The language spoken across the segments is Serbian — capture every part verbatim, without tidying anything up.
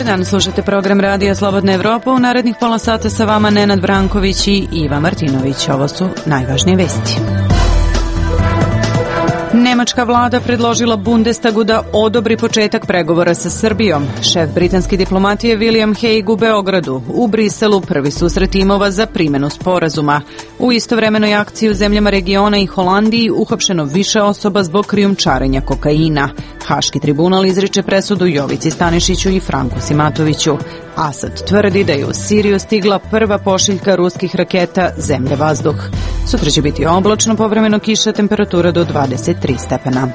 dan, slušate program Radija Slobodna Evropa. U narednih pola sata sa vama Nenad Branković i Iva Martinović. Ovo su najvažnije vesti. Nemačka vlada predložila Bundestagu da odobri početak pregovora sa Srbijom. Šef britanske diplomatije William Hague u Beogradu. U Briselu prvi susret timova za primjenu sporazuma. U istovremenoj akciji u zemljama regiona i Holandiji uhapšeno više osoba zbog krijumčarenja kokaina. Haški tribunal izriče presudu Jovici Stanišiću i Franku Simatoviću. Asad tvrdi da je u Siriju stigla prva pošiljka ruskih raketa zemlja-vazduh. Sutra će biti oblačno, povremeno kiša, temperatura do dvadeset tri stepena.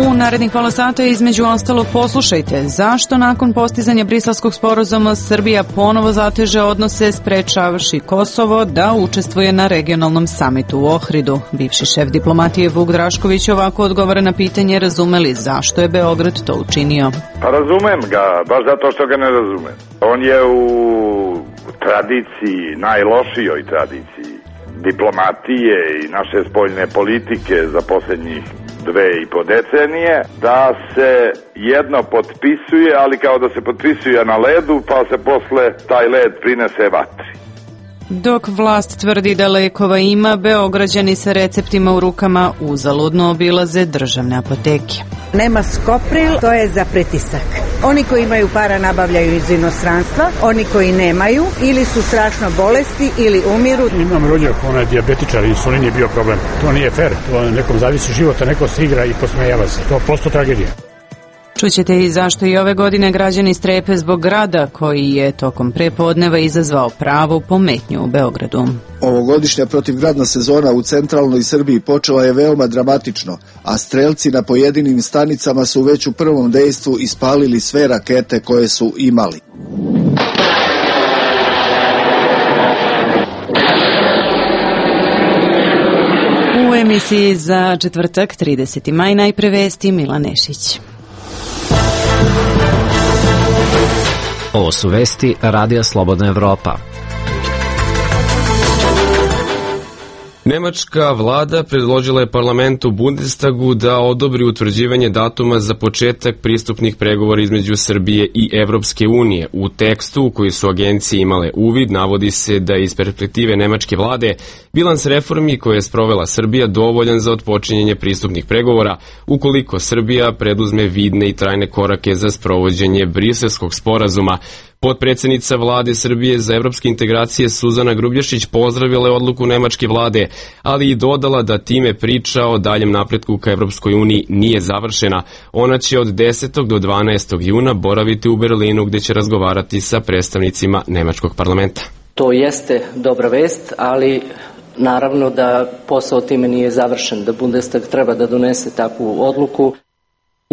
U narednih pola sata između ostalog poslušajte zašto nakon postizanja briselskog sporazuma Srbija ponovo zateže odnose sprečavaši Kosovo da učestvuje na regionalnom samitu u Ohridu. Bivši šef diplomatije Vuk Drašković ovako odgovara na pitanje razumeli zašto je Beograd to učinio. Pa razumem ga, baš zato što ga ne razumem. On je u tradiciji, najlošijoj tradiciji diplomatije i naše spoljne politike za posljednjih dve i po decenije, da se jedno potpisuje, ali kao da se potpisuje na ledu, pa se posle taj led prinese vatri. Dok vlast tvrdi da lekova ima, Beograđani sa receptima u rukama uzaludno obilaze državne apoteke. Nema Skopril, to je za pritisak. Oni koji imaju para nabavljaju iz inostranstva, oni koji nemaju ili su strašno bolesti ili umiru. Imam rođak, ona je dijabetičar, insulin je bio problem. To nije fair, to nekom zavisi života, neko se igra i posmejava se. To je prosto tragedija. Čućete i zašto i ove godine građani strepe zbog grada koji je tokom prepodneva izazvao pravu pometnju u Beogradu. Ovogodišnja protivgradna sezona u centralnoj Srbiji počela je veoma dramatično, a strelci na pojedinim stanicama su već u prvom dejstvu ispalili sve rakete koje su imali. U emisiji za četvrtak, trideseti maj, najpre vesti Milan Nešić. Ovo su vesti Radija Slobodna Evropa. Nemačka vlada predložila je parlamentu Bundestagu da odobri utvrđivanje datuma za početak pristupnih pregovora između Srbije i Evropske unije. U tekstu u koji su agencije imale uvid navodi se da iz perspektive nemačke vlade bilans reformi koje je sprovela Srbija dovoljan za otpočinjenje pristupnih pregovora ukoliko Srbija preduzme vidne i trajne korake za sprovođenje Briselskog sporazuma. Potpredsednica vlade Srbije za evropske integracije Suzana Grubješić pozdravila je odluku nemačke vlade, ali i dodala da time priča o daljem napretku ka Evropskoj uniji nije završena. Ona će od desetog do dvanaestog juna boraviti u Berlinu gde će razgovarati sa predstavnicima nemačkog parlamenta. To jeste dobra vest, ali naravno da posao time nije završen, da Bundestag treba da donese takvu odluku.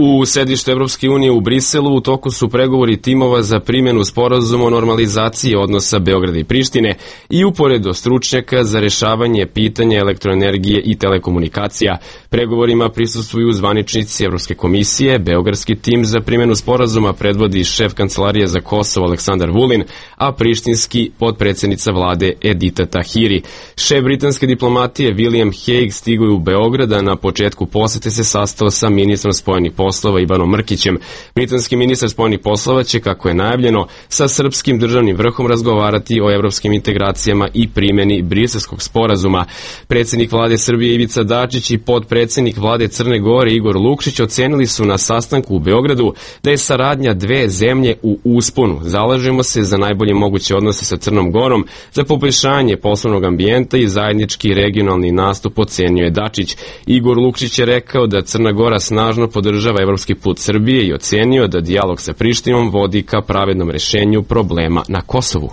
U sedištu Evropske unije u Briselu u toku su pregovori timova za primjenu sporazuma o normalizaciji odnosa Beograda i Prištine i uporedo stručnjaka za rešavanje pitanja elektroenergije i telekomunikacija. Pregovorima prisustvuju zvaničnici Evropske komisije, beogradski tim za primjenu sporazuma predvodi šef Kancelarije za Kosovo Aleksandar Vulin, a prištinski potpredsednica vlade Edita Tahiri. Šef britanske diplomatije William Hague stigao je u Beograd, a na početku posete se sastao sa ministrom spojenih poslova Ivanom Mrkićem. Britanski ministar spojenih poslova će, kako je najavljeno, sa srpskim državnim vrhom razgovarati o evropskim integracijama i primjeni Briselskog sporazuma. Predsjednik vlade Srbije Ivica Dačić i potpredsjednik vlade Crne Gore Igor Lukšić ocenili su na sastanku u Beogradu da je saradnja dve zemlje u usponu. Zalažemo se za najbolje moguće odnose sa Crnom Gorom, za poboljšanje poslovnog ambijenta i zajednički regionalni nastup, ocenio je Dačić. Igor Lukšić je rekao da Crna Gora snažno podržava evropski put Srbije i ocenio da dijalog sa Prištinom vodi ka pravednom rešenju problema na Kosovu.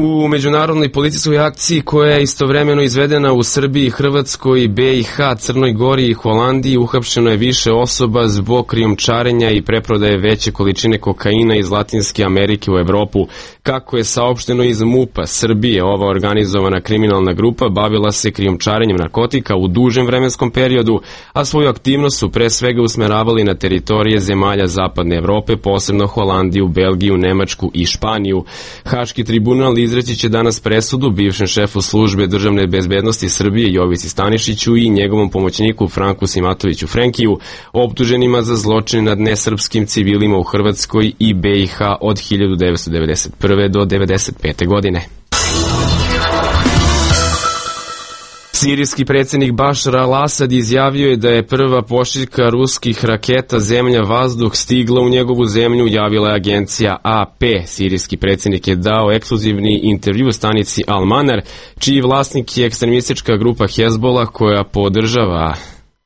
U međunarodnoj policijskoj akciji koja je istovremeno izvedena u Srbiji, Hrvatskoj, B i H, Crnoj Gori i Holandiji uhapšeno je više osoba zbog krijumčarenja i preprodaje veće količine kokaina iz Latinske Amerike u Evropu. Kako je saopšteno iz MUP-a Srbije, ova organizovana kriminalna grupa bavila se krijumčarenjem narkotika u dužem vremenskom periodu, a svoju aktivnost su pre svega usmeravali na teritorije zemalja Zapadne Evrope, posebno Holandiju, Belgiju, Nemačku i Španiju. Haški tribunal izreći će danas presudu bivšem šefu službe državne bezbednosti Srbije Jovici Stanišiću i njegovom pomoćniku Franku Simatoviću Frenkiju, optuženima za zločin nad nesrpskim civilima u Hrvatskoj i B i H od hiljadu devetsto devedeset prve do devedeset pete godine. Sirijski predsjednik Bašar al-Asad izjavio je da je prva pošiljka ruskih raketa zemlja-vazduh stigla u njegovu zemlju, javila je agencija A P. Sirijski predsjednik je dao ekskluzivni intervju stanici Al-Manar, čiji vlasnik je ekstremistička grupa Hezbollah koja podržava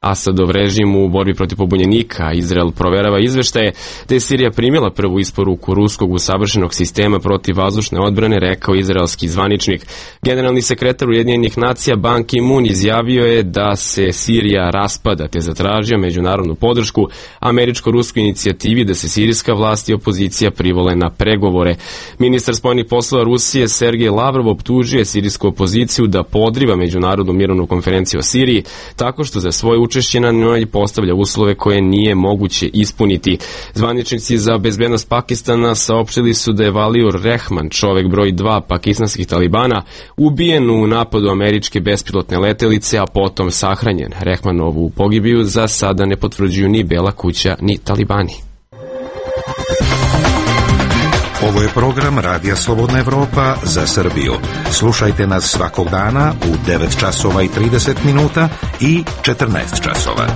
Asadov režim u borbi protiv pobunjenika. Izrael proverava izveštaje da je Sirija primila prvu isporuku ruskog usavršenog sistema protiv vazdušne odbrane, rekao izraelski zvaničnik. Generalni sekretar Ujedinjenih nacija Ban Ki-moon izjavio je da se Sirija raspada, te zatražio međunarodnu podršku američko-ruskoj inicijativi da se sirijska vlast i opozicija privole na pregovore. Ministar spoljnih poslova Rusije Sergej Lavrov optužuje sirijsku opoziciju da podriva međunarodnu mirovnu konferenciju o Siriji tako što za svoje učešće na njoj postavlja uslove koje nije moguće ispuniti. Zvaničnici za bezbednost Pakistana saopštili su da je Valiur Rehman, čovek broj dva pakistanskih talibana, ubijen u napadu američke bespilotne letelice, a potom sahranjen. Rehmanovu pogibiju za sada ne potvrđuju ni Bela kuća, ni talibani. Ovo je program Radija Slobodna Evropa za Srbiju. Slušajte nas svakog dana u devet časova i trideset minuta i četrnaest časova.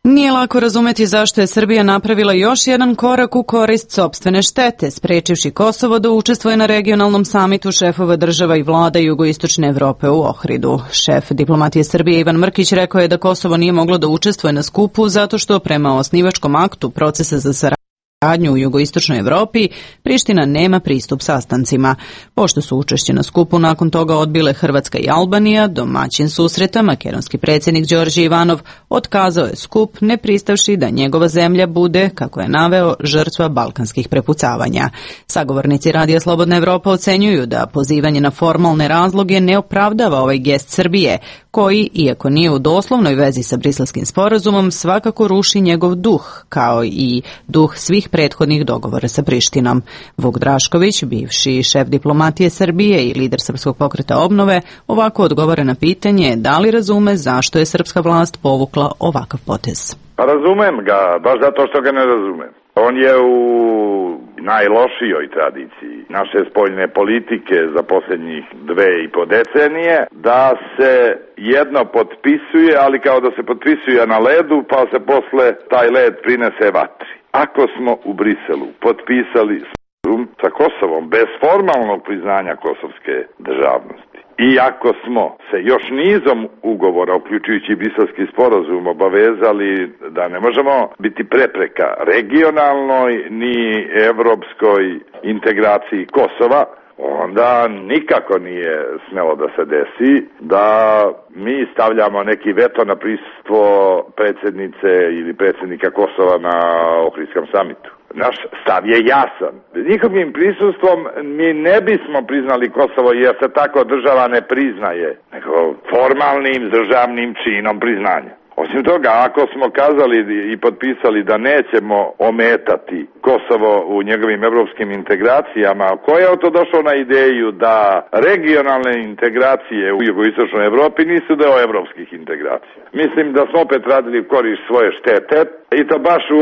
Nije lako razumeti zašto je Srbija napravila još jedan korak u korist sopstvene štete, sprečivši Kosovo da učestvuje na regionalnom samitu šefova država i vlada jugoistočne Evrope u Ohridu. Šef diplomatije Srbije Ivan Mrkić rekao je da Kosovo nije moglo da učestvuje na skupu zato što prema osnivačkom aktu procesa za saradnju u jugoistočnoj Evropi, Priština nema pristup sastancima. Pošto su učešće na skupu nakon toga odbile Hrvatska i Albanija, domaćin susreta, makedonski predsjednik Đorđe Ivanov otkazao je skup, ne pristavši da njegova zemlja bude, kako je naveo, žrtva balkanskih prepucavanja. Sagovornici Radija Slobodna Evropa ocenjuju da pozivanje na formalne razloge ne opravdava ovaj gest Srbije, koji, iako nije u doslovnoj vezi sa Briselskim sporazumom, svakako ruši njegov duh, kao i duh svih prethodnih dogovora sa Prištinom. Vuk Drašković, bivši šef diplomatije Srbije i lider Srpskog pokreta obnove, ovako odgovara na pitanje da li razume zašto je srpska vlast povukla ovakav potez. Pa razumem ga, baš zato što ga ne razumem. On je u najlošijoj tradiciji naše spoljne politike za posljednjih dve i po decenije, da se jedno potpisuje, ali kao da se potpisuje na ledu, pa se posle taj led prinese vatri. Ako smo u Briselu potpisali sa Kosovom bez formalnog priznanja kosovske državnosti, i ako smo se još nizom ugovora, uključujući Briselski sporazum, obavezali da ne možemo biti prepreka regionalnoj ni evropskoj integraciji Kosova, onda nikako nije smelo da se desi da mi stavljamo neki veto na prisustvo predsjednice ili predsjednika Kosova na Ohridskom samitu. Naš stav je jasan. Njihovim prisustvom mi ne bismo priznali Kosovo jer se tako država ne priznaje, nego formalnim državnim činom priznanja. Osim toga, ako smo kazali i potpisali da nećemo ometati Kosovo u njegovim evropskim integracijama, ko je to došao na ideju da regionalne integracije u jugoistočnoj Evropi nisu deo evropskih integracija? Mislim da smo opet radili u korist svoje štete i to baš u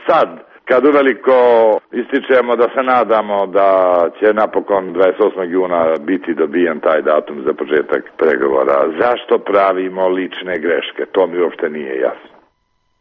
sad, kad uveliko ističemo da se nadamo da će napokon dvadeset osmog juna biti dobijen taj datum za početak pregovora. Zašto pravimo lične greške? To mi uopšte nije jasno.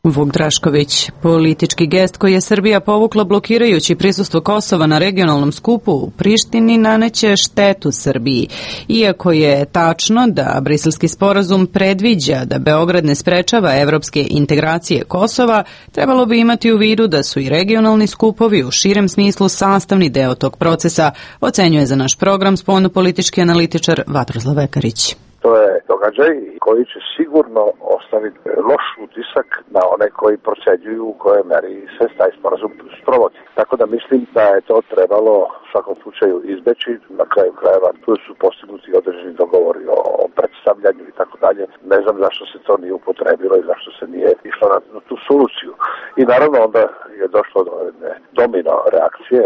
Vuk Drašković, politički gest koji je Srbija povukla blokirajući prisustvo Kosova na regionalnom skupu u Prištini naneće štetu Srbiji. Iako je tačno da Briselski sporazum predviđa da Beograd ne sprečava evropske integracije Kosova, trebalo bi imati u vidu da su i regionalni skupovi u širem smislu sastavni deo tog procesa, ocenjuje za naš program spoljnopolitički analitičar Vatroslav Vekarić. To je događaj koji će sigurno ostaviti loš utisak na one koji procenjuju u kojoj meri se taj sporazum sprovodi. Tako da mislim da je to trebalo u svakom slučaju izbeći. Na kraju krajeva tu su postignuti određeni dogovori o, o predstavljanju i tako dalje. Ne znam zašto se to nije upotrebilo i zašto se nije išlo na, na tu soluciju. I naravno onda je došlo do jedne domino reakcije.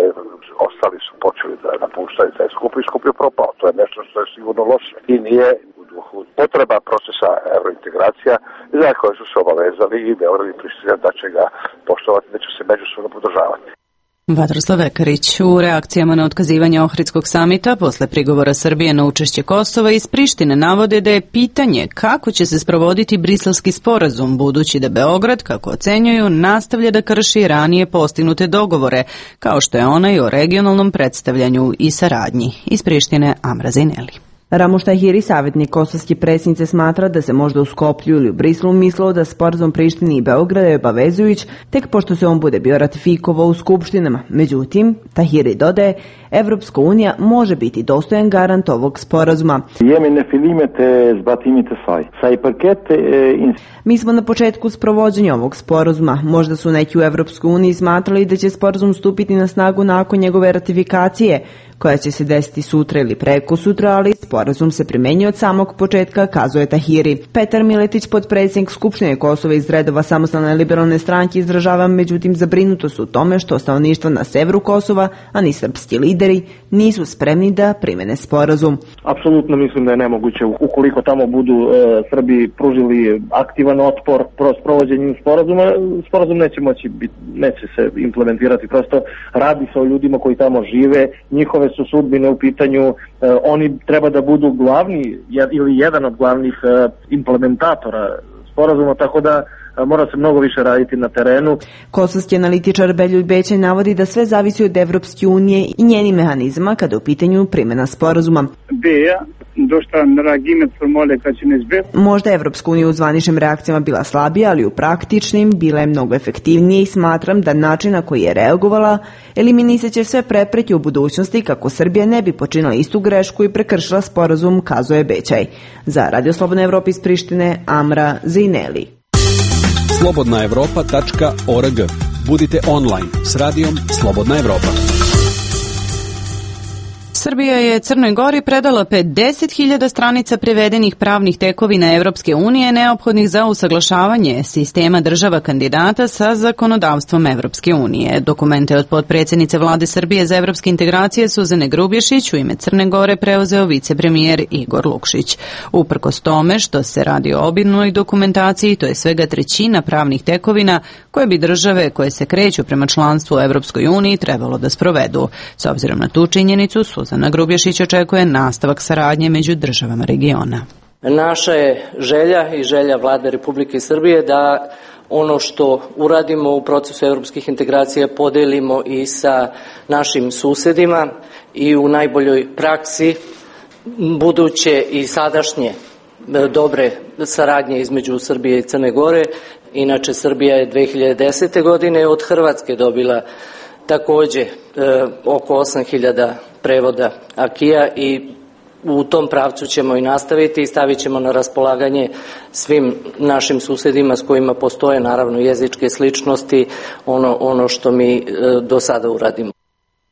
Ostali su počeli da napuštaju taj skup i skup je propao. To je nešto što je sigurno loše i nije potreba procesa eurointegracija za koje su se obavezali i Beograd i Priština da će ga poštovati, da će se međusobno podržavati. Vatroslav Vekarić u reakcijama na otkazivanje Ohridskog samita posle prigovora Srbije na učešće Kosova iz Prištine navode da je pitanje kako će se sprovoditi Briselski sporazum, budući da Beograd, kako ocenjuju, nastavlja da krši ranije postignute dogovore, kao što je onaj o regionalnom predstavljanju i saradnji. Iz Prištine Amra Zaineli. Ramuš Tahiri, savjetnik kosovske predsjednice, smatra da se možda u Skoplju ili u Briselu mislilo da sporazum Prištini i Beograda je obavezujuć tek pošto se on bude bio ratifikovao u skupštinama. Međutim, Tahiri dodaje, Evropska unija može biti dostojan garant ovog sporazuma. Mi smo na početku sprovođenja ovog sporazuma. Možda su neki u Evropskoj uniji smatrali da će sporazum stupiti na snagu nakon njegove ratifikacije, koja će se desiti sutra ili preko sutra, ali sporazum se primenjuje od samog početka, kazuje Tahiri. Petar Miletić, potpredsjednik Skupštine Kosova iz redova Samostalne liberalne stranke, izražava međutim zabrinutost u tome što stanovništvo na severu Kosova, a ni srpski lideri, nisu spremni da primene sporazum. Apsolutno mislim da je nemoguće ukoliko tamo budu e, Srbi pružili aktivan otpor pro sprovođenju sporazuma, sporazum neće moći biti, neće se implementirati. Prosto radi se o ljudima koji tamo žive, njihove su sudbine u pitanju, e, oni treba da budu glavni jed, ili jedan od glavnih e, implementatora sporazuma, tako da mora se mnogo više raditi na terenu. Kosovski analitičar Beljulj Bećaj navodi da sve zavisi od Evropske unije i njenih mehanizma kada je u pitanju primjena sporazuma. Možda je Evropska unija u zvaničnim reakcijama bila slabija, ali u praktičnim bila je mnogo efektivnije i smatram da način na koji je reagovala eliminisaće sve prepreke u budućnosti kako Srbija ne bi počinila istu grešku i prekršila sporazum, kazuje Bećaj. Za Radio Slobodna Evropa iz Prištine, Amra Zaineli. slobodna evropa tačka org. Budite online s radijom Slobodna Evropa. Srbija je Crnoj Gori predala pedeset hiljada stranica prevedenih pravnih tekovina Evropske unije neophodnih za usaglašavanje sistema država kandidata sa zakonodavstvom Evropske unije. Dokumente od potpredsjednice Vlade Srbije za evropske integracije Suzane Grubješić u ime Crne Gore preuzeo vicepremijer Igor Lukšić. Uprkos tome što se radi o obimnoj dokumentaciji, to je svega trećina pravnih tekovina koje bi države koje se kreću prema članstvu u Evropskoj uniji trebalo da sprovedu. S obzirom na tu činjenicu, Suzana Na Grubješić očekuje nastavak saradnje među državama regiona. Naša je želja i želja Vlade Republike Srbije da ono što uradimo u procesu evropskih integracija podelimo i sa našim susedima i u najboljoj praksi buduće i sadašnje dobre saradnje između Srbije i Crne Gore. Inače, Srbija je dve hiljade desete. godine od Hrvatske dobila takođe e, oko osam hiljada prevoda akija i u tom pravcu ćemo i nastaviti i stavit ćemo na raspolaganje svim našim susedima s kojima postoje naravno jezičke sličnosti ono, ono što mi e, do sada uradimo.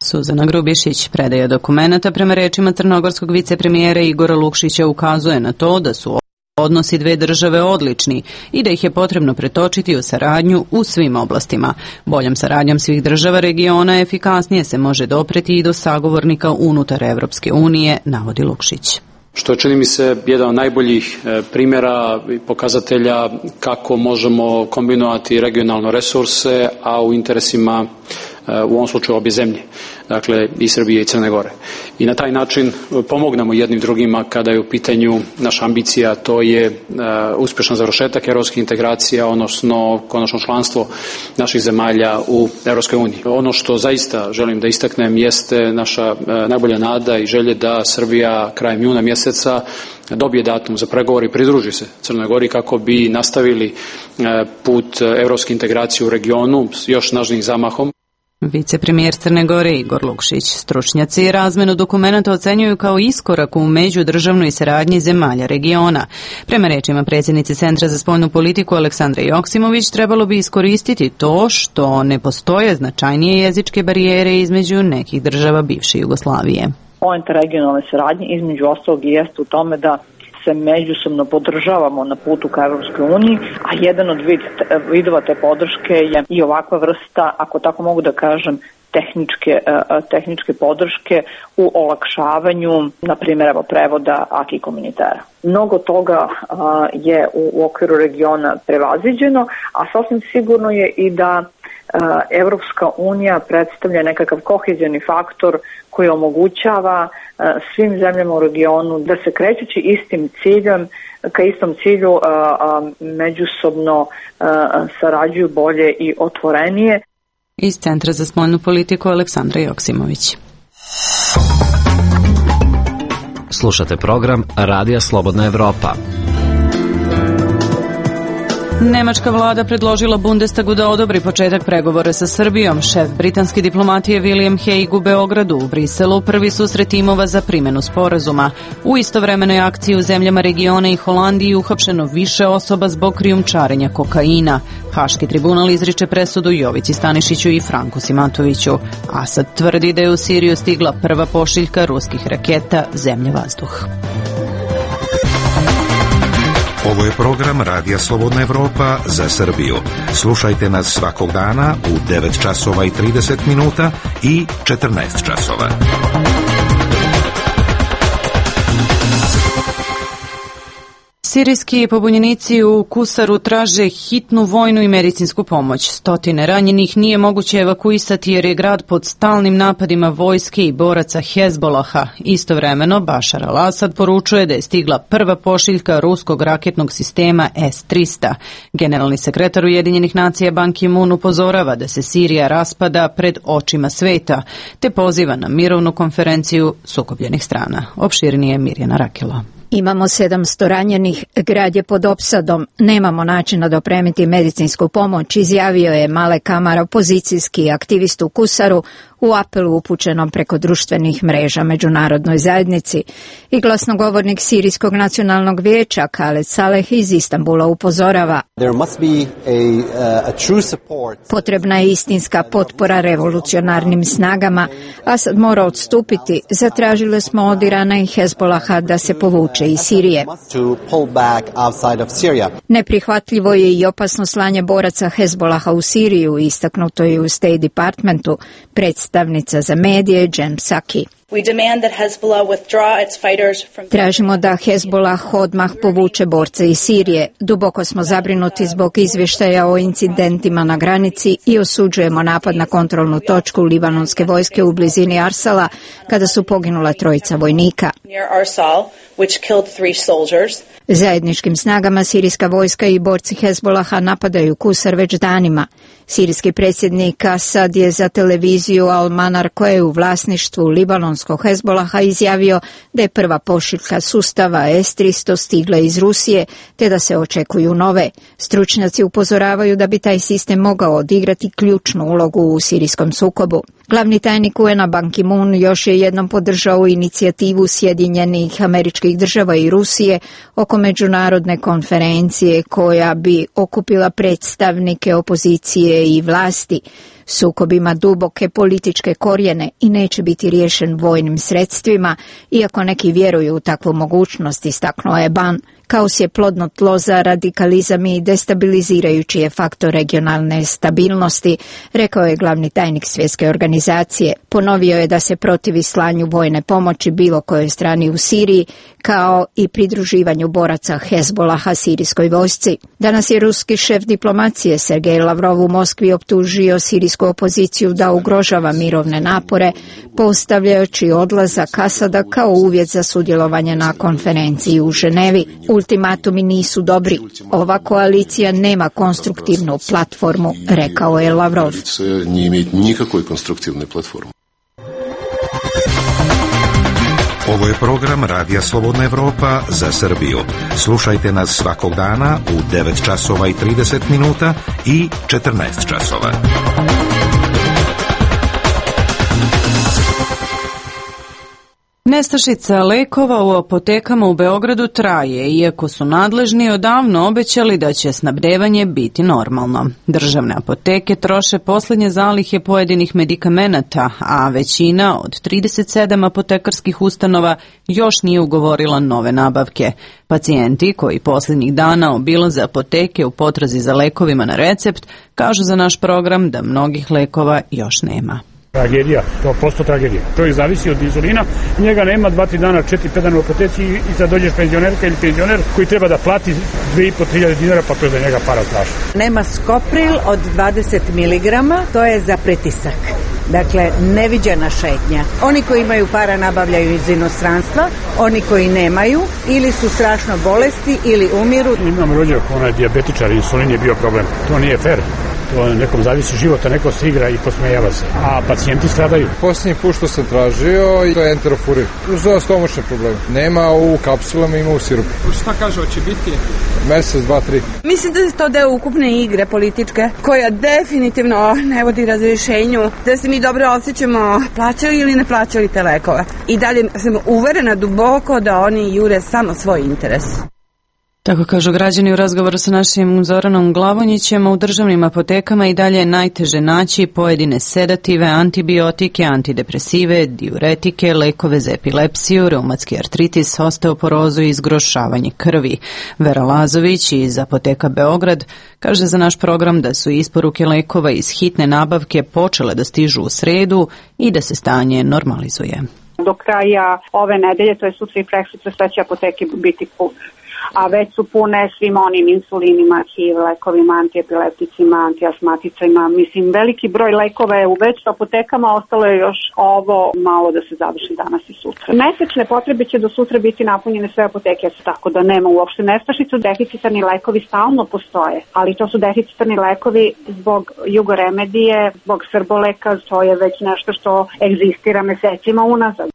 Suzana Grubješić predaja dokumenata prema rečima crnogorskog vicepremijera Igora Lukšića ukazuje na to da su odnosi dve države odlični i da ih je potrebno pretočiti u saradnju u svim oblastima. Boljom saradnjom svih država regiona efikasnije se može dopreti i do sagovornika unutar Evropske unije, navodi Lukšić. Što je, čini mi se, jedan od najboljih primjera i pokazatelja kako možemo kombinovati regionalne resurse, a u interesima u ovom slučaju obje zemlje, dakle i Srbije i Crne Gore. I na taj način pomognemo jednim drugima kada je u pitanju naša ambicija, to je uh, uspješan završetak evropskih integracija, odnosno konačno članstvo naših zemalja u Evropskoj uniji. Ono što zaista želim da istaknem jeste naša uh, najbolja nada i želje da Srbija krajem juna mjeseca dobije datum za pregovor i pridruži se Crnoj Gori kako bi nastavili uh, put evropske integracije u regionu s još snažnijim zamahom. Vicepremijer Crne Gore Igor Lukšić. Stručnjaci razmenu dokumenata ocenjuju kao iskorak u međudržavnoj saradnji zemalja regiona. Prema rečima predsjednice Centra za spoljnu politiku Aleksandre Joksimović, trebalo bi iskoristiti to što ne postoje značajnije jezičke barijere između nekih država bivše Jugoslavije. Poenta regionalne saradnje između ostalog i jeste u tome da se međusobno podržavamo na putu ka Evropskoj uniji, a jedan od vid, vidova te podrške je i ovakva vrsta, ako tako mogu da kažem, tehničke, tehničke podrške u olakšavanju, na primjer, evo, prevoda acquis communautaire. Mnogo toga je u, u okviru regiona prevaziđeno, a sasvim sigurno je i da Evropska unija predstavlja nekakav kohezijani faktor koji omogućava svim zemljama u regionu da se krećući istim ciljem, ka istom cilju međusobno sarađuju bolje i otvorenije. Iz Centra za spoljnu politiku Aleksandra Joksimović. Slušate program Radija Slobodna Evropa. Nemačka vlada predložila Bundestagu da odobri početak pregovora sa Srbijom. Šef britanske diplomatije William Hague u Beogradu, u Briselu prvi susret timova za primjenu sporazuma. U istovremenoj akciji u zemljama regiona i Holandiji uhapšeno više osoba zbog krijumčarenja kokaina. Haški tribunal izriče presudu Jovici Stanišiću i Franku Simatoviću. Asad tvrdi da je u Siriju stigla prva pošiljka ruskih raketa zemlja-vazduh. Ovo je program Radija Slobodna Evropa za Srbiju. Slušajte nas svakog dana u devet časova i trideset minuta i četrnaest časova. Sirijski pobunjenici u Kusaru traže hitnu vojnu i medicinsku pomoć. Stotine ranjenih nije moguće evakuisati jer je grad pod stalnim napadima vojske i boraca Hezbolaha. Istovremeno, Bašar al-Asad poručuje da je stigla prva pošiljka ruskog raketnog sistema S trista. Generalni sekretar Ujedinjenih nacija Ban Ki-moon upozorava da se Sirija raspada pred očima sveta, te poziva na mirovnu konferenciju sukobljenih strana. Opširnije Mirjana Rakelo. Imamo sedamsto ranjenih, grad je pod opsadom, nemamo načina da opremiti medicinsku pomoć, izjavio je Malek Amar, opozicijski aktivist u Kusaru, u apelu upućenom preko društvenih mreža međunarodnoj zajednici. I glasnogovornik Sirijskog nacionalnog vijeća Khaled Saleh iz Istanbula upozorava: potrebna je istinska potpora revolucionarnim snagama. Asad mora odstupiti. Zatražili smo od Irana i Hezbolaha da se povuče iz Sirije. Neprihvatljivo je i opasno slanje boraca Hezbolaha u Siriju, istaknuto je u State Departmentu. Predstavnica za medije Jen Psaki. Tražimo da Hezbollah odmah povuče borce iz Sirije. Duboko smo zabrinuti zbog izvještaja o incidentima na granici i osuđujemo napad na kontrolnu točku libanonske vojske u blizini Arsala kada su poginula trojica vojnika. Zajedničkim snagama sirijska vojska i borci Hezbolaha napadaju Kusar već danima. Sirijski predsjednik Asad je za televiziju Al-Manar, koja je u vlasništvu libanonskog Hezbolaha, izjavio da je prva pošiljka sustava S tristo stigla iz Rusije, te da se očekuju nove. Stručnjaci upozoravaju da bi taj sistem mogao odigrati ključnu ulogu u sirijskom sukobu. Glavni tajnik U N-a Ban Ki-moon još je jednom podržao inicijativu Sjedinjenih Američkih Država i Rusije oko međunarodne konferencije koja bi okupila predstavnike opozicije i vlasti. Sukob ima duboke političke korijene i neće biti riješen vojnim sredstvima, iako neki vjeruju u takvu mogućnost, istaknuo je Ban. Kaos je plodno tlo za radikalizam i destabilizirajući je faktor regionalne stabilnosti, rekao je glavni tajnik Svjetske organizacije. Ponovio je da se protivi slanju vojne pomoći bilo kojoj strani u Siriji, kao i pridruživanju boraca Hezbolaha sirijskoj vojsci. Danas je ruski šef diplomacije Sergej Lavrov u Moskvi optužio sirijsku opoziciju da ugrožava mirovne napore, postavljajući odlazak Asada kao uvjet za sudjelovanje na konferenciji u Ženevi. Ultimatumi nisu dobri. Ova koalicija nema konstruktivnu platformu, rekao je Lavrov. Ovo je program Radija Slobodna Evropa za Srbiju. Slušajte nas svakog dana u devet časova i trideset minuta i četrnaest časova. Nestašica lekova u apotekama u Beogradu traje, iako su nadležni odavno obećali da će snabdevanje biti normalno. Državne apoteke troše poslednje zalihe pojedinih medikamenata, a većina od trideset sedam apotekarskih ustanova još nije ugovorila nove nabavke. Pacijenti koji poslednjih dana obilaze apoteke u potrazi za lekovima na recept kažu za naš program da mnogih lekova još nema. Tragedija, sto posto tragedija. Čovjek zavisi od inzulina, njega nema dva tri dana, četiri pet dana u apoteci i sad dođeš penzionerka ili penzioner koji treba da plati dve i po hiljade dinara, pa to je za njega para strašno. Nema Skopril od dvadeset miligrama, to je za pritisak. Dakle, neviđena šetnja. Oni koji imaju para nabavljaju iz inostranstva, oni koji nemaju ili su strašno bolesti ili umiru. Imam rođak, ona je dijabetičar, insulin je bio problem. To nije fair. To nekom zavisi života, neko se igra i posmejava se, a pacijenti stradaju. Posljednji put što sam tražio i to je enterofurin za stomačne probleme. Nema u kapsulama, ima u sirupu. Šta kaže, hoće biti? Mesec, dva, tri. Mislim da je to deo ukupne igre političke, koja definitivno ne vodi razrješenju, da se mi dobro osjećamo plaćali ili ne plaćali te lekove. I dalje sam uverena duboko da oni jure samo svoj interes. Tako kažu građani u razgovoru sa našim Zoranom Glavonjićem. U državnim apotekama i dalje je najteže naći pojedine sedative, antibiotike, antidepresive, diuretike, lekove za epilepsiju, reumatski artritis, osteoporozu i zgrošavanje krvi. Vera Lazović iz apoteka Beograd kaže za naš program da su isporuke lekova iz hitne nabavke počele da stižu u sredu i da se stanje normalizuje. Do kraja ove nedelje, to je sutra i preksutra, sve će apoteke biti pune. A već su pune svim onim insulinima, H I V lekovima, antiepilepticima, antiasmaticima. Mislim, veliki broj lekova je u već apotekama, ostalo je još ovo malo da se završi danas i sutra. Mesečne potrebe će do sutra biti napunjene sve apoteke, tako da nema uopšte nestašicu. Deficitarni lekovi stalno postoje, ali to su deficitarni lekovi zbog jugoremedije, zbog srboleka, to je već nešto što egzistira mesecima unazad.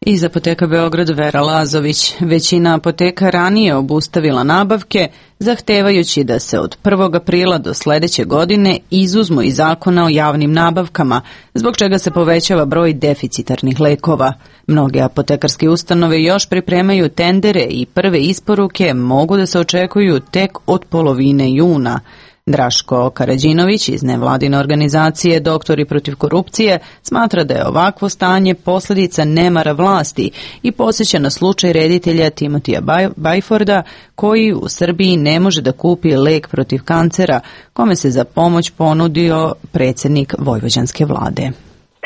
Iz apoteka Beograd Vera Lazović. Većina apoteka ranije obustavila nabavke, zahtevajući da se od prvog aprila do sledeće godine izuzmu iz zakona o javnim nabavkama, zbog čega se povećava broj deficitarnih lekova. Mnoge apotekarske ustanove još pripremaju tendere i prve isporuke mogu da se očekuju tek od polovine juna. Draško Karađinović iz nevladine organizacije Doktori protiv korupcije smatra da je ovakvo stanje posljedica nemara vlasti i podsjeća na slučaj reditelja Timotija Bajforda koji u Srbiji ne može da kupi lek protiv kancera kome se za pomoć ponudio predsjednik vojvođanske vlade.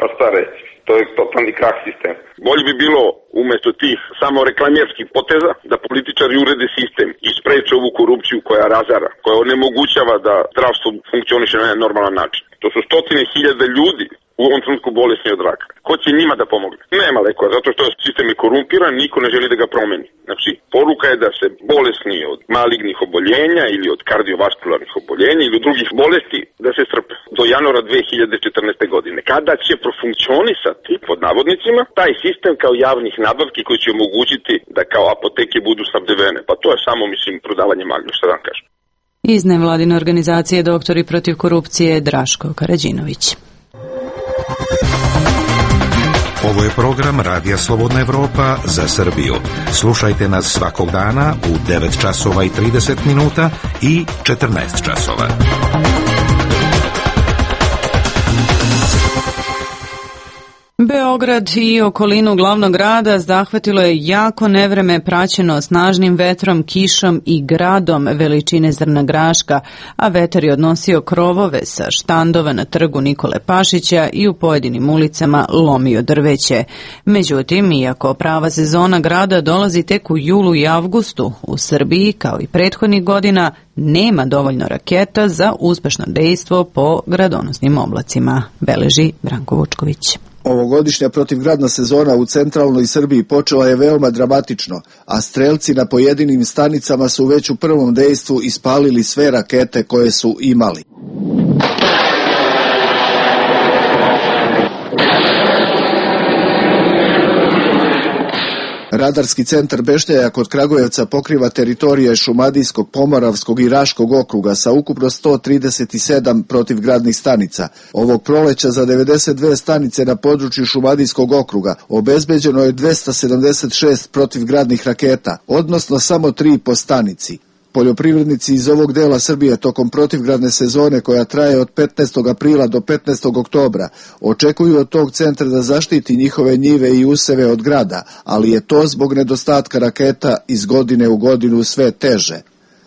Pa stare, to je totalni krah sistem. Bolje bi bilo umjesto tih samo reklamerskih poteza da političari urede sistem i spreče ovu korupciju koja razara, koja onemogućava da zdravstvo funkcioniše na normalan način. To su stotine hiljada ljudi u ovom trenutku bolesni od raka. Ko će njima da pomogne? Nema lekova, zato što sistem je korumpiran, niko ne želi da ga promeni. Znači, poruka je da se bolesni od malignih oboljenja ili od kardiovaskularnih oboljenja ili od drugih bolesti da se strpe. Do januara dve hiljade četrnaeste. godine. Kada će profunkcionisati, pod navodnicima, taj sistem kao javnih nabavki koji će omogućiti da kao apoteke budu snabdevene. Pa to je samo, mislim, prodavanje magle, šta da vam kažem. Iz nevladine organizacije Doktori protiv korupcije Draško Karađinović. Ovo je program Radija Slobodna Evropa za Srbiju. Slušajte nas svakog dana u devet časova i trideset minuta i četrnaest časova. Beograd i okolinu glavnog grada zahvatilo je jako nevreme praćeno snažnim vetrom, kišom i gradom veličine zrna graška, a vetar je odnosio krovove sa štandova na trgu Nikole Pašića i u pojedinim ulicama lomio drveće. Međutim, iako prava sezona grada dolazi tek u julu i avgustu, u Srbiji, kao i prethodnih godina, nema dovoljno raketa za uspešno dejstvo po gradonosnim oblacima, beleži Branko Vučković. Ovogodišnja protivgradna sezona u centralnoj Srbiji počela je veoma dramatično, a strelci na pojedinim stanicama su već u prvom dejstvu ispalili sve rakete koje su imali. Radarski centar Bešnjaja kod Kragujevca pokriva teritorije Šumadijskog, Pomoravskog i Raškog okruga sa ukupno sto trideset sedam protivgradnih stanica. Ovog proleća za devedeset dve stanice na području Šumadijskog okruga obezbeđeno je dvesta sedamdeset šest protivgradnih raketa, odnosno samo tri po stanici. Poljoprivrednici iz ovog dela Srbije tokom protivgradne sezone koja traje od petnaestog aprila do petnaestog oktobra očekuju od tog centra da zaštiti njihove njive i useve od grada, ali je to zbog nedostatka raketa iz godine u godinu sve teže.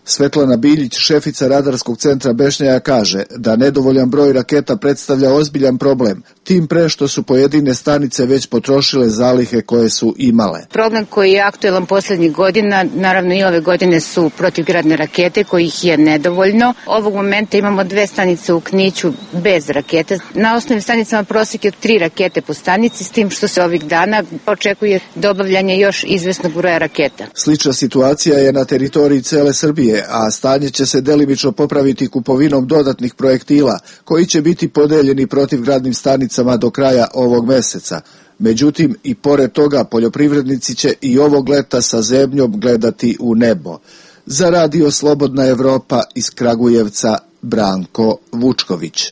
Svetlana Biljić, šefica Radarskog centra Bešnjaja, kaže da nedovoljan broj raketa predstavlja ozbiljan problem, tim pre što su pojedine stanice već potrošile zalihe koje su imale. Problem koji je aktuelan poslednjih godina, naravno i ove godine, su protivgradne rakete kojih je nedovoljno. Ovog momenta imamo dve stanice u Kniću bez rakete. Na osnovnim stanicama prosjek je tri rakete po stanici, s tim što se ovih dana očekuje dobavljanje još izvesnog broja raketa. Slična situacija je na teritoriji cele Srbije, a stanje će se delimično popraviti kupovinom dodatnih projektila koji će biti podeljeni protivgradnim stanicama do kraja ovog meseca. Međutim, i pored toga poljoprivrednici će i ovog leta sa zebnjom gledati u nebo. Za Radio Slobodna Evropa iz Kragujevca, Branko Vučković.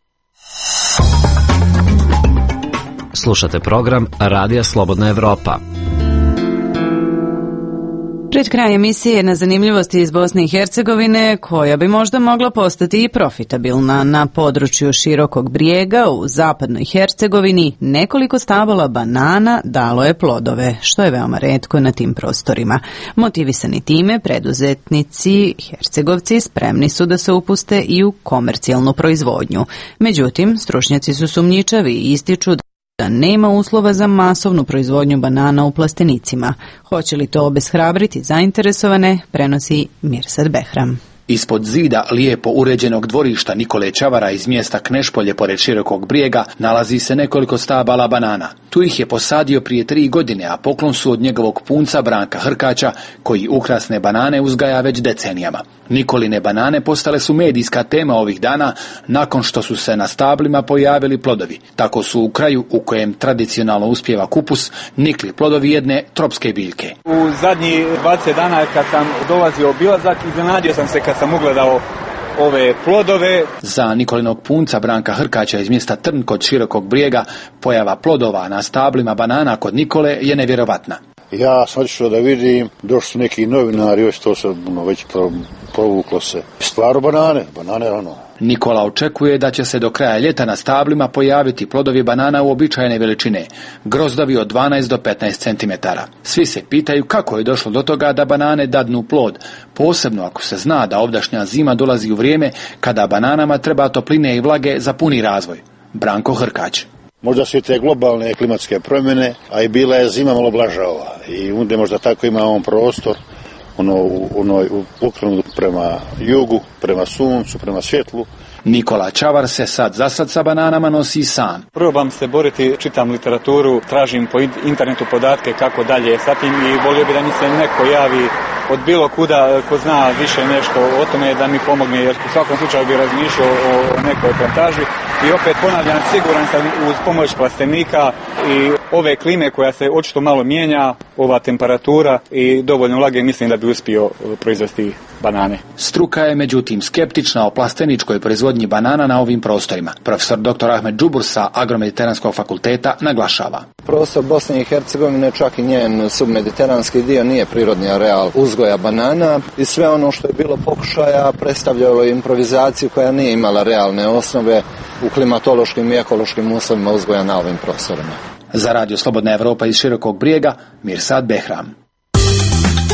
Slušate program Radija Slobodna Evropa. Pred kraj emisije na zanimljivosti iz Bosne i Hercegovine, koja bi možda mogla postati i profitabilna. Na području Širokog Brijega u zapadnoj Hercegovini nekoliko stabala banana dalo je plodove, što je veoma retko na tim prostorima. Motivisani time, preduzetnici Hercegovci spremni su da se upuste i u komercijalnu proizvodnju. Međutim, stručnjaci su sumnjičavi i ističu da da nema uslova za masovnu proizvodnju banana u plastenicima. Hoće li to obeshrabriti zainteresovane, prenosi Mirsad Behram. Ispod zida lijepo uređenog dvorišta Nikole Čavara iz mjesta Knešpolje pored Širokog Brijega nalazi se nekoliko stabala banana. Tu ih je posadio prije tri godine, a poklon su od njegovog punca Branka Hrkaća, koji ukrasne banane uzgaja već decenijama. Nikoline banane postale su medijska tema ovih dana nakon što su se na stablima pojavili plodovi. Tako su u kraju u kojem tradicionalno uspijeva kupus nikli plodovi jedne tropske biljke. U zadnjih dvadeset dana kad sam dolazio obilazak, iznenadio sam se kad sam ugledao ove plodove. Za Nikolinog punca Branka Hrkaća iz mjesta Trn kod Širokog Brijega pojava plodova na stablima banana kod Nikole je nevjerovatna. Ja sam otišao da vidim, došli su neki novinari, već to se no, već provuklo se. Stvarno banane, banane ono. Nikola očekuje da će se do kraja ljeta na stablima pojaviti plodovi banana uobičajene veličine, grozdovi od dvanaest do petnaest centimetara. Svi se pitaju kako je došlo do toga da banane dadnu plod, posebno ako se zna da ovdašnja zima dolazi u vrijeme kada bananama treba topline i vlage za puni razvoj. Branko Hrkać. Možda su i te globalne klimatske promjene, a i bila je zima malo blaža ova. I onda možda tako ima on prostor, ono, ono ukrenut prema jugu, prema suncu, prema svjetlu. Nikola Čavar se sad za sad sa bananama nosi sam. Probam se boriti, čitam literaturu, tražim po internetu podatke kako dalje sa tim i volio bi da mi se neko javi od bilo kuda ko zna više nešto o tome da mi pomogne, jer u svakom slučaju bi razmišljao o nekoj plantaži. I opet ponavljam, siguran sam uz pomoć plastenika i ove klime koja se očito malo mijenja, ova temperatura i dovoljno vlage, mislim da bi uspio proizvesti banane. Struka je međutim skeptična o plasteničkoj proizvodnji banana na ovim prostorima. Profesor doktor Ahmed Džubur sa Agromediteranskog fakulteta naglašava. Prostor Bosne i Hercegovine, čak i njen submediteranski dio, nije prirodni areal uzgoja banana i sve ono što je bilo pokušaja predstavljalo improvizaciju koja nije imala realne osnove u klimatološkim i ekološkim uslovima uzgoja na ovim prostorima. Za Radio Slobodna Evropa iz Širokog Brijega, Mirsad Behram.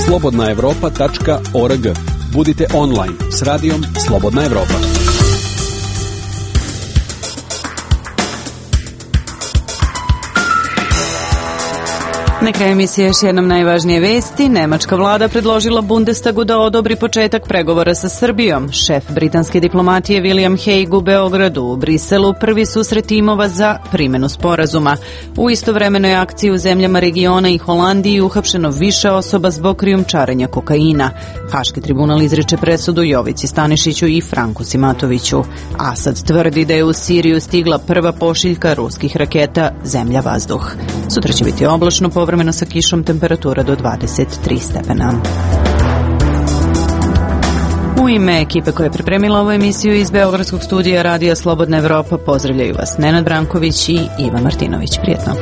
slobodna evropa tačka org. Budite online s radijom Slobodna Evropa. Na kraju emisije još jednom najvažnije vesti. Nemačka vlada predložila Bundestagu da odobri početak pregovora sa Srbijom. Šef britanske diplomatije William Hague u Beogradu, u Briselu prvi susret timova za primjenu sporazuma. U istovremenoj akciji u zemljama regiona i Holandiji uhapšeno više osoba zbog krijumčarenja kokaina. Haški tribunal izriče presudu Jovici Stanišiću i Franku Simatoviću. Asad tvrdi da je u Siriju stigla prva pošiljka ruskih raketa zemlja-vazduh. Sutra će biti oblačno, povremeno povremeno sa kišom, temperatura do dvadeset tri stepena. U ime ekipe koja je pripremila ovu emisiju iz Beogradskog studija Radija Slobodna Evropa pozdravljaju vas Nenad Branković i Iva Martinović. Prijetno.